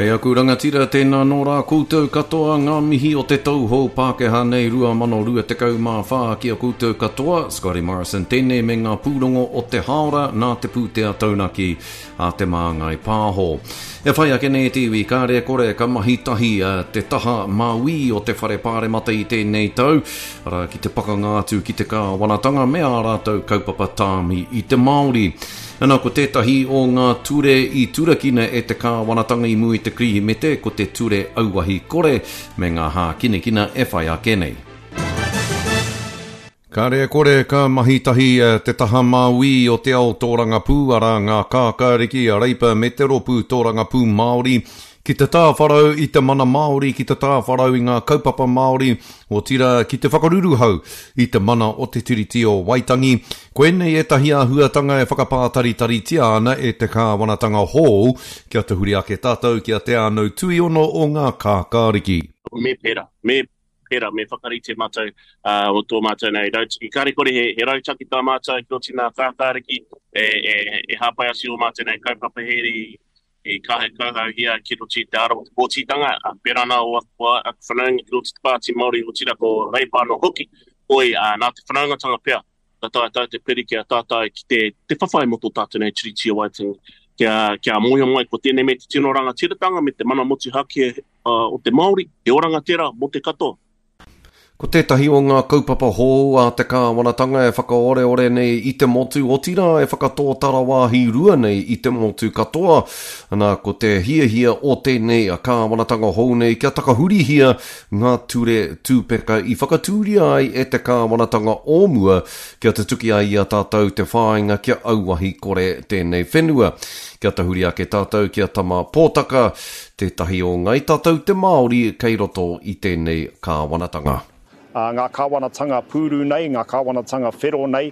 E aku rangatira, tēnā nō rā koutou katoa ngā mihi o te tau hou Pākehā nei 2024 ki a koutou katoa, Scotty Morrison tēnei me ngā pūrongo o te hāora nā te pūtea taunaki a Te Māngai Pāho. E whai ake nei te iwi, kāre e kore ka mahi tahi te taha mauī o te whare pāremata i tēnei tau, arā ki te pakanga atu ki te kāwanatanga me ā rātou kaupapa tāmi i te Māori. Ana, ko tētahi o ngā ture i turakina e te kāwanatanga i mua i te Kirihimete, ko te Ture Auahi Kore me ngā hākinakina e whai ake nei. Kāre e kore ka mahi tahi te taha māuī o te ao tōrangapū, arā ngā kākāriki, a Reipa me te Rōpū Tōrangapū Māori, ki te tāwharau i te mana Māori, ki te tāwharau i ngā kaupapa Māori, otirā ki te whakaruruhau i te mana o te Tiriti o Waitangi. Koinei ētahi āhuatanga e whakapātaritaritia ana e te kāwanatanga hou kia tahuri ake tātou ki a Te Ānau Tuiono o ngā Kākāriki. Me pērā, me pērā, me whakarite mātou o tō mātou nei rautaki. Kāre kore he, he rautaki tā mātou ki oti nā Kākāriki e, e, e hāpai atu ō mātou nei kaupapa here i, i kaha kauhauhia ki roto i te ara o te pōtitanga, ā, pērā nā o aku, aku whanaunga ki roto i te Pāti Māori, otirā ko Reipa anō hoki, hoi, ā, nā te whanaungatanga pea, ka taea tātou te piri ki a tātou ki te, te whawhai mō tō tātou nei Tiriti o Waitangi, kia, kia mōhio mai ko tēnei me te tino rangatiratanga me te mana motuhake o te Māori, he oranga tērā mō te katoa. Ko tētahi o ngā kaupapa hou a te kāwanatanga e whakaoreore nei i te motu, otirā e whakatōtara wāhi rua nei i te motu katoa, ana, ko te hiahia o tēnei kāwanatanga hou nei kia takahurihia ngā ture tūpeka i whakatūria ai e te kāwanatanga o mua kia tutuki ai i a tātou te whāinga kia auahi kore tēnei whenua. Kia tahuri ake tātou ki a Tama Pōtaka, Tētahi o ngai tātou te Māori kei roto i tēnei kāwanatanga. Ngā kāwanatanga pūru nei, ngā kāwanatanga whero nei,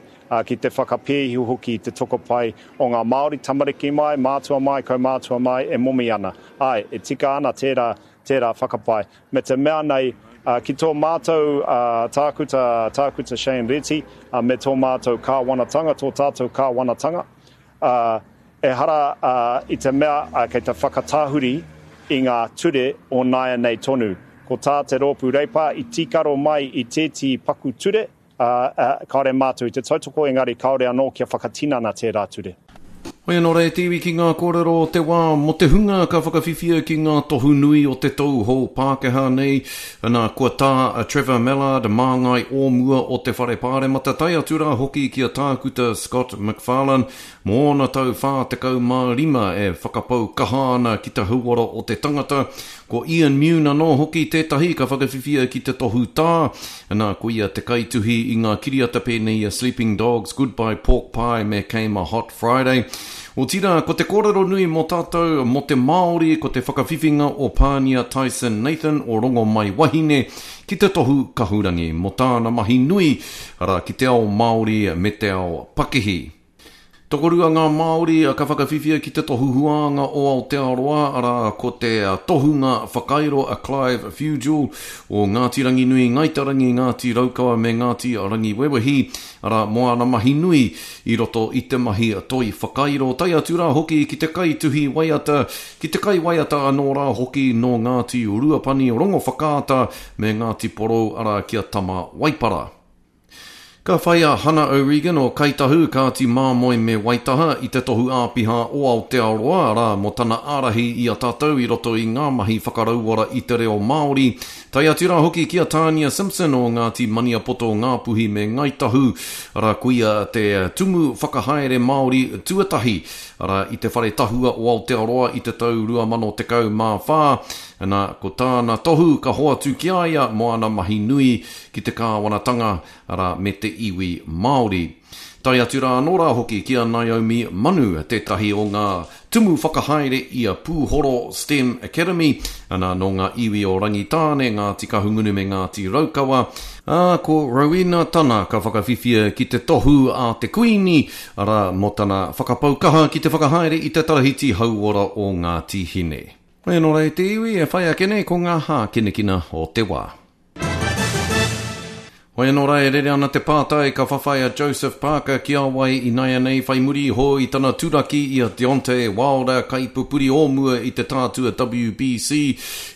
ki te whakapēhi hoki i te tokopae o ngā Māori, tamariki mai, mātua mai, kaumātua mai, e momi ana. Āe, e tika ana tērā, tērā whakapae. Me te mea nei, ki tō mātou tākuta, Tākuta Shane Reti, me tō mātou kāwanatanga, tō tātou kāwanatanga, Ā, ehara i te mea kei te whakatahuri i ngā ture o nāianei tonu. Ko tā te Rōpū Reipa i tīkaro mai i tētehi paku ture, ā, kāore mātou i te tautoko, engari kāore anō kia whakatinana tērā ture. Hoi anō rā e te iwi ki ngā kōrero o te wā mō te hunga ka whakawhiwhia ki ngā tohu nui o te tou hou Pākehā nei, ana, kua tā a Trevor Mallard, māngai o mua o te Whare Pāremata, tae atu rā hoki ki a Tākuta Scott McFarlane, mō ōna tau 45 e whakapau kaha ana ki te hauora o te tangata. Ko Ian Mune anō hoki tētahi ka whakawhiwhia ki te tohu tā, ana, ko ia te kaituhi i ngā kiriata pēnei i a Sleeping Dogs, Goodbye Pork Pie me Came a Hot Friday. Otirā, ko te kōrero nui mō tātou, mō te Māori, ko te whakawhiwhinga o Pānia Tyson Nathan o Rongomaiwahine ki te tohu kahurangi mō tāna mahi nui, arā, ki te ao Māori me te ao pakihi. Tokorua ngā Māori ka whakawhiwhia ki te tohu huānga o Aotearoa, arā, ko te tohunga whakairo a Clive Fugill o Ngāti Ranginui, Ngāi Te Rangi, Ngāti Raukawa me Ngāti Rangiwewehi, arā, mō āna mahi nui i roto i te mahi toi whakairo, tae atu rā hoki ki te kaituhi waiata, ki te kaiwaiata anō rā hoki nō Ngāti Ruapani, Rongowhakaata me Ngāti Porou, arā, ki a Tama Waipara. Ka whai a Hana O'Regan o Kai Tahu, Kāti Māmoe me Waitaha i te tohu āpiha o Aotearoa, arā, mō tana ārahi i a tātou i roto i ngā mahi whakarauora i te reo Māori, tae atu rā hoki ki a Tania Simpson o Ngāti Maniapoto, Ngāpuhi me Ngāi Tahu, arā, ko ia te Tumu Whakahaere Māori tuatahi, arā, i te Whare Tahua o Aotearoa i te tau 2014, nā, ko tāna tohu ka hoatu ki a ia mō ana mahi nui ki te kāwanatanga, arā, me te iwi Māori. Tae atu rā anō rā hoki ki a Naomi Manu, tētahi o ngā tumu whakahaere i a Pūhoro STEM Academy, ana, nō ngā iwi o Rangitāne, Ngāti Kahungunu me Ngāti Raukawa, ā, ko Rowena Tana ka whakawhiwhia ki te tohu a te Kuini, arā, mō tana whakapau kaha ki te whakahaere i te Tarahiti Hauora o Ngāti Hine. Hoi anō rā e te iwi, e whai ake nei ko ngā hākinakina o te wā. Hoi anō rā e rere ana te pātai ka whawhai a Joseph Parker ki a wai inaianei whai muri iho i tana turaki i a Deontay Wilder kaipupuri o mua i te tātua WBC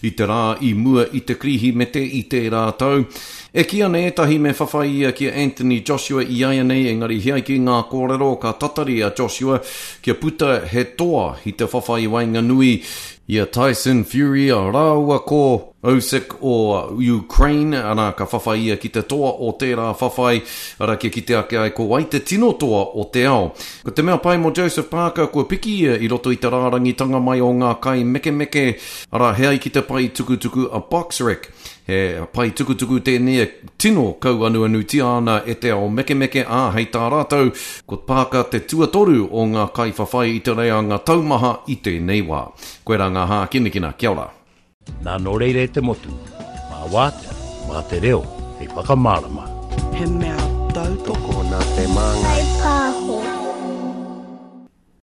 i te rā i mua i te Kirihimete i tērā tau. E kī ana ētahi me whawhai ia ki a Anthony Joshua iaianei engari he ai ki ngā kōrero ka tatari a Joshua kia puta he toa i te whawhai waenganui i a Tyson Fury rāua ko Usyk o Ukraine, arā, ka whawhai ia ki te toa o tērā whawhai, arā, kia kite ake ai ko wai te tino toa o te ao. Ko te mea pai mō Joseph Parker, kua piki ia i roto i te rārangitanga mai o ngā kaimekemeke, arā, he ai ki te pae tukutuku a BoxRec. He pae tukutuku tēnei e tino kauanuanutia ana e te ao mekemeke, ā, hei tā rātou, ko Parker te tuatoru o ngā kaiwhawhai i te reanga taumaha i tēnei wā. Koirā ngā hākinakina. Kia ora. Nā nō reira e te motu, mā wātea, mā te reo hei whakamārama. He mea tautoko. Tokona te māngai.